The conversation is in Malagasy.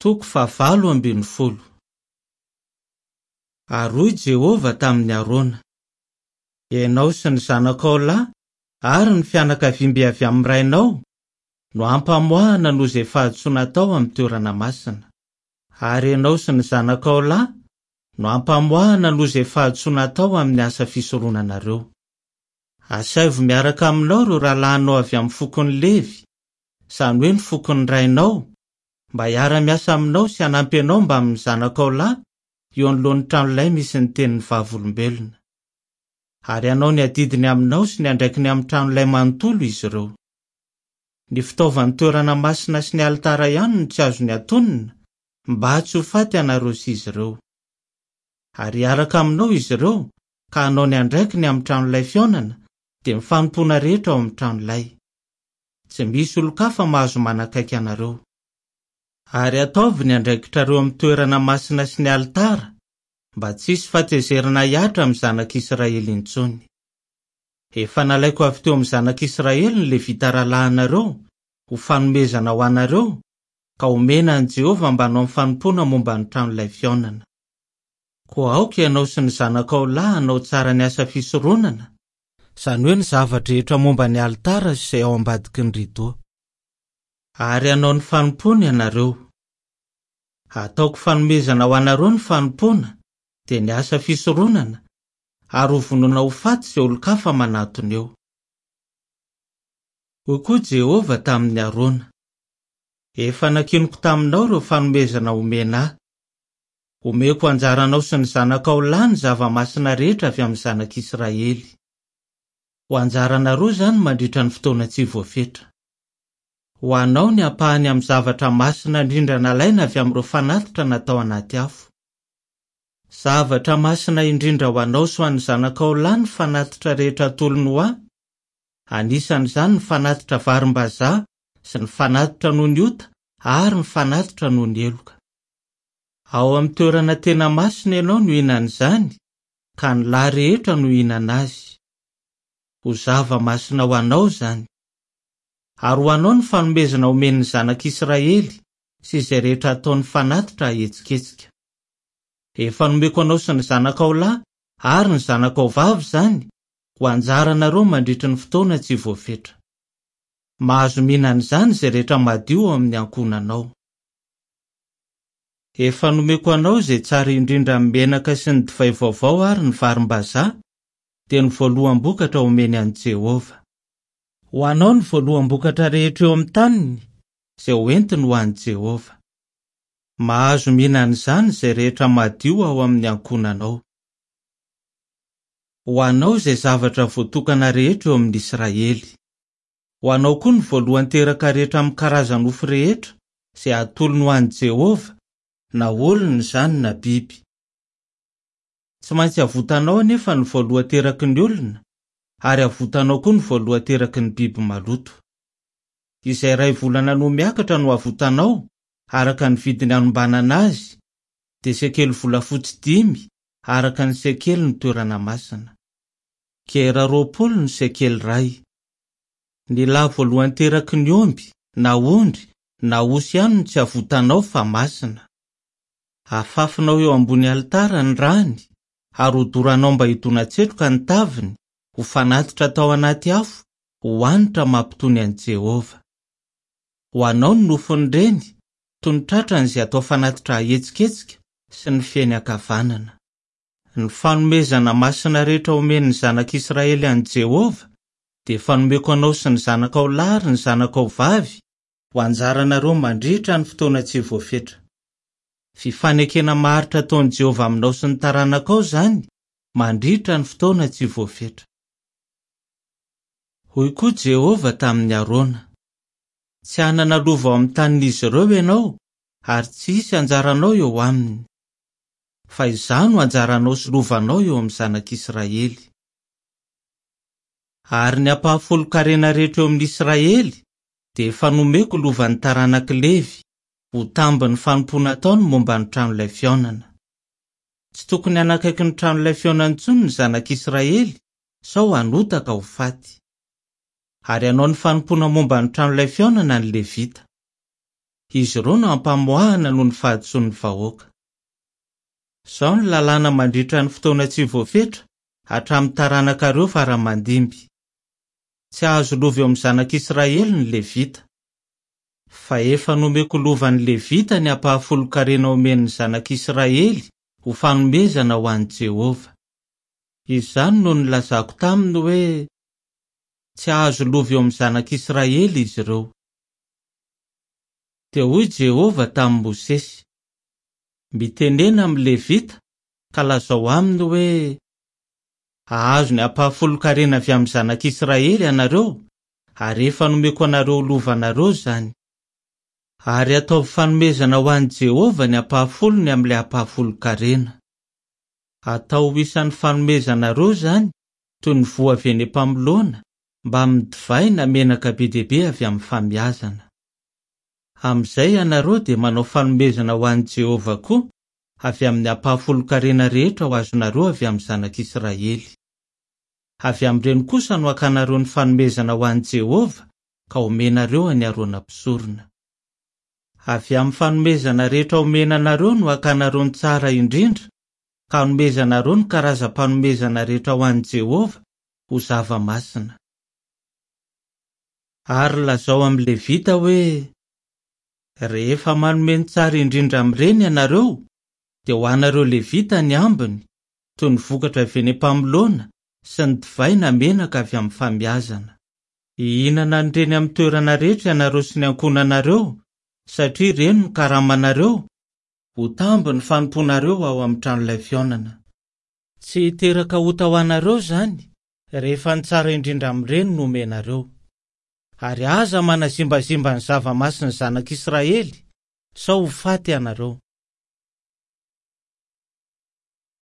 Toko fahavalo ambin'ny folo. Ary hoy Jehovah tamin'i Arona, Ianao sy ny zanakao lahy ary ny fianakaviambe avy amin'ny rainao no hampamoahana noho izay fahadisoana atao amin'ny toerana masina. Ary ianao sy ny zanakao lahy no hampamoahana noho izay fahadisoana atao amin'ny asa fisoronanareo. Asaivo miaraka aminao ireo rahalahinao avy amin'ny fokon'i Levy, izany hoe ny fokon'ny rainao, mba hiara-miasa aminao sy hanampy anao mbamin'ny zanakao lahy eo anoloan'ny tranolay misy ny tenin'ny Vavolombelona. Ary hanao ny adidiny aminao sy ny andraikiny amin'ny tranolay manontolo izy ireo. Ny fitaovan'ny toerana masina sy ny alitara ihany no tsy azony atonina, mba tsy ho faty ianareo sy izy ireo. Ary hiaraka aminao izy ireo ka hanao ny andraikiny amin'ny tranolay fihaonana, dia ny fanompoana rehetra ao amin'ny tranolay. Tsy misy olon-kafa mahazo manakaiky anareo. Ary ataovy ny andraikitrareo amin'ny toerana masina sy ny alitara, mba tsy hisy fahatezerana hihatra amin'ny zanak'Israely intsony. Efa nalaiko avy teo amin'ny zanak'Israely ny Levita rahalahinareo ho fanomezana ho anareo, ka homena an'i Jehovah mba hanao ny fanompoana momba ny tranolay fihaonana. Koa aoka ianao sy ny zanakao lahy hanao tsara ny asa fisoronana, izany hoe ny zava-drehetra momba ny alitara sy izay ao ambadiky ny ridô. Ary hanao ny fanompoana ianareo. Hataoko fanomezana ho anareo ny fanompoana, dia ny asa fisoronana, ary hovonoina ho faty izay olon-kafa manatona eo. Hoy koa Jehovah tamin'i Arona, Efa nankiniko taminao ireo fanomezana omena ahy. Homeko anjaranao sy ny zanakao lahy ny zava-masina rehetra avy amin'ny zanak'Israely. Ho anjaranareo izany mandritra ny fotoana tsy voafetra. Ho anao ny ampahany amin'ny zavatra masina indrindra nalaina avy amin'ireo fanatitra natao anaty afo. Zavatra masina indrindra ho anao sy ho an'ny zanakao lahy ny fanatitra rehetra atolony ho ahy, anisan'izany ny fanatitra varimbazaha sy ny fanatitra noho ny ota ary ny fanatitra noho ny heloka. Ao amin'ny toerana tena masina ianao no hihinana izany, ka ny lahy rehetra no hihinana azy. Ho zava-masina ho anao izany. Ary ho anao ny fanomezana omen'ny zanak'Israely sy izay rehetra ataony fanatitra ahetsiketsika. Efa nomeko anao sy ny zanakao lahy ary ny zanakao vavy izany ho anjaranareo mandritry ny fotoana tsy voafetra. Mahazo mihinana izany izay rehetra madio ao amin'ny ankohonanao. Efa nomeko anao izay tsara indrindra amin'ny menaka sy ny divay vaovao ary ny varimbazaha, dia ny voaloham-bokatra omeny an'i Jehovah. Ho anao ny voaloham-bokatra rehetra eo amin'ny taniny, izay hoentiny ho an'i Jehovah. Mahazo mihinana izany izay rehetra madio ao amin'ny ankohonanao. Ho anao izay zavatra voatokana rehetra eo amin'ny Israely. Ho anao koa ny voalohan-teraka rehetra amin'ny karaza-nofo rehetra izay atolony ho an'i Jehovah, na olona izany na biby. Tsy maintsy avotanao anefa ny voalohan-teraky ny olona, ary avotanao koa ny voalohan-teraky ny biby maloto. Izay iray volana no miakatra no avotanao, araka ny vidiny anombanana azy, dia sekely volafotsy dimy, araka ny sekelin'ny toerana masina. Gera 20 ny sekely iray. Ny lahy voalohan-teraky ny omby, na ondry, na osy ihany no tsy avotanao fa masina. Afafinao eo ambony alitara ny rany, ary hodoranao mba hidona-tsetroka ny taviny, ho fanatitra atao anaty afo, ho hanitra mampitony an'i Jehovah. Ho anao ny nofon'ireny, toy ny tratrany izay atao fanatitra ahetsiketsika, sy ny feny ankavanana. Ny fanomezana masina rehetra omen'ny zanak'Israely an'i Jehovah dia efa nomeko anao sy ny zanakao lahy ary ny zanakao vavy, ho anjaranareo mandritra ny fotoana tsy voafetra. Fifanekena maharitra ataon'i Jehovah aminao sy ny taranakao izany mandritra ny fotoana tsy voafetra. Hoy koa Jehovah tamin'i Arona, Tsy hanana lova ao amin'ny tanin'izy ireo ianao, ary tsy hisy anjaranao eo aminy. Fa Izaho no anjaranao sy lovanao eo amin'ny zanak'Israely. Ary ny ampahafolon-karena rehetra eo amin'ny Israely dia efa nomeko lovan'ny taranak'i Levy, ho tambin'ny fanompoana ataony momba ny tranolay fihaonana. Tsy tokony hanakaiky ny tranolay fihaonana intsony ny zanak'Israely, sao hanota ka ho faty. Ary hanao ny fanompoana momba ny tranolay fihaonana ny Levita. Izy ireo no hampamoahana noho ny fahadisoan'ny vahoaka. Izao ny lalàna mandritra ny fotoana tsy voafetra hatramin'ny taranakareo fara aman-dimby. Tsy hahazo lova eo amin'ny zanak'Israely ny Levita. Fa efa nomeko lovan'ny Levita ny ampahafolon-karena omen'ny zanak'Israely ho fanomezana ho an'i Jehovah. Izany no nilazako taminy hoe, Tsy hahazo lova eo amin'ny zanak'Israely izy ireo. Dia hoy Jehovah tamin'i Mosesy, Mitenena amin'ny Levita ka lazao aminy hoe, 'Hahazo ny ampahafolon-karena avy amin'ny zanak'Israely ianareo, ary efa nomeko anareo ho lovanareo izany. Ary ataovy fanomezana ho an'i Jehovah ny ampahafolony amin'ilay ampahafolon-karena. Atao ho isan'ny fanomezanareo izany, toy ny voa avy eny am-pamoloana, mbamin'ny divay na menaka be dia be avy amin'ny famiazana. Amin'izay ianareo dia manao fanomezana ho an'i Jehovah koa, avy amin'ny ampahafolon-karena rehetra ho azonareo avy amin'ny zanak'Israely. Avy amin'ireny kosa no hakanareo ny fanomezana ho an'i Jehovah ka homenareo an'i Arona mpisorona. Avy amin'ny fanomezana rehetra omena anareo no hakanareo ny tsara indrindra, ka hanomezanareo ny karazam-panomezana rehetra ho an'i Jehovah ho zava-masina. Ary lazao amin'ny Levita hoe, 'Rehefa manome ny tsara indrindra amin'ireny ianareo, dia ho anareo Levita ny ambiny, toy ny vokatra avy eny am-pamoloana sy ny divay na menaka avy amin'ny famiazana. Hihinana an'ireny amin'ny toerana rehetra ianareo sy ny ankohonanareo, satria ireny no karamanareo, ho tambin'ny fanompoanareo ao amin'ny tranolay fihaonana. Tsy hiteraka ota ho anareo izany, rehefa ny tsara indrindra amin'ireny no omenareo. Ary aza manazimbazimba ny zava-masin'ny zanak'Israely, sao ho faty ianareo.